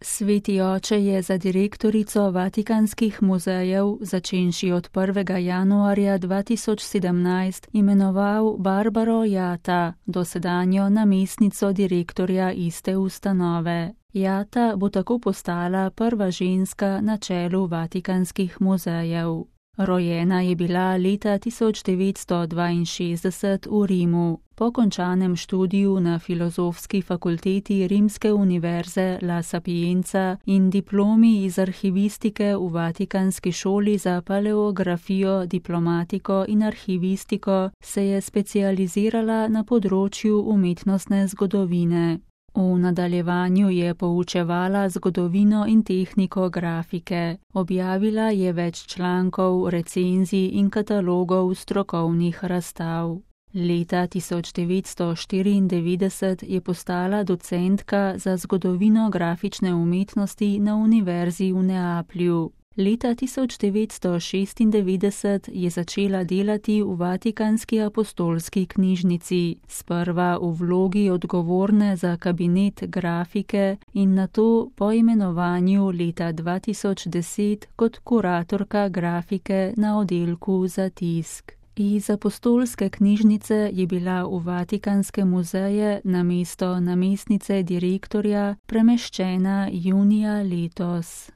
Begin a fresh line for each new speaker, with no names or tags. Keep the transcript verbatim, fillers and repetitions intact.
Sveti oče je za direktorico Vatikanskih muzejev, začenši od prvega januarja dva tisoč sedemnajst, imenoval Barbaro Jatta, dosedanjo namestnico direktorja iste ustanove. Jatta bo tako postala prva ženska na čelu Vatikanskih muzejev. Rojena je bila leta tisoč devetsto dvainšestdeset v Rimu. Po končanem študiju na Filozofski fakulteti Rimske univerze La Sapienza in diplomi iz arhivistike v Vatikanski šoli za paleografijo, diplomatiko in arhivistiko se je specializirala na področju umetnostne zgodovine. V nadaljevanju je poučevala zgodovino in tehniko grafike. Objavila je več člankov, recenzij in katalogov strokovnih razstav. Leta tisoč devetsto štiriindevetdeset je postala docentka za zgodovino grafične umetnosti na Univerzi v Neaplju. Leta tisoč devetsto šestindevetdeset je začela delati v Vatikanski apostolski knjižnici, sprva v vlogi odgovorne za kabinet grafike in nato po imenovanju leta dva tisoč deset kot kuratorka grafike na oddelku za tisk. Iz apostolske knjižnice je bila v Vatikanske muzeje namesto namestnice direktorja premeščena junija letos.